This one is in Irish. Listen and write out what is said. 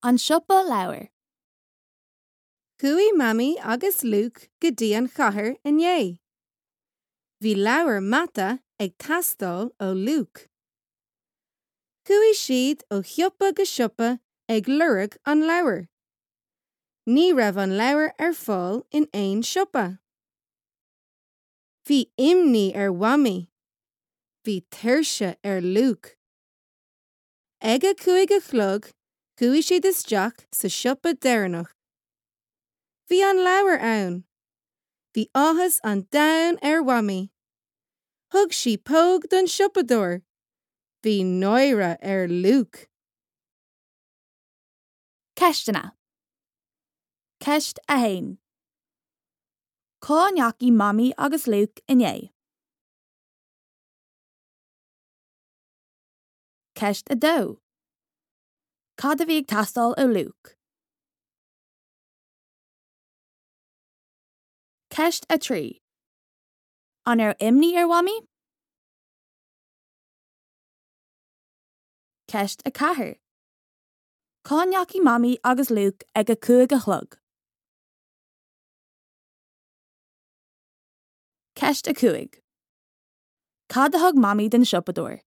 An Siopa Leabhar. Chuaigh Mamaí agus Luke go dtí an chathair inné. Bhí leabhar mata ag teastáil ó Luke. Chuaigh siad ó shiopa go siopa ag lorg an leabhair. Ní raibh an leabhar ar fáil in aon siopa. Bhí imní ar Mhamaí. Bhí tuirse ar Luke. Ag a 5 a chlog chuaigh siad isteach sa siopa deireanach. Bhí an leabhar ann! Bhí áthas an domhain ar Mhamaí. Thug sí póg don siopadóir. Bhí náire ar Luke. Ceisteanna. Ceist 1. Cá ndeachaigh Mamaí agus Luke inné? Ceist 2. Cad a bhí ag teastáil ó Luke? Ceist 3. An raibh imní ar Mhamaí? Ceist 4. Cá ndeachaigh Mamaí agus Luke ag a 5 a chlog? Ceist 5. Cad a thug Mamaí don siopadóir?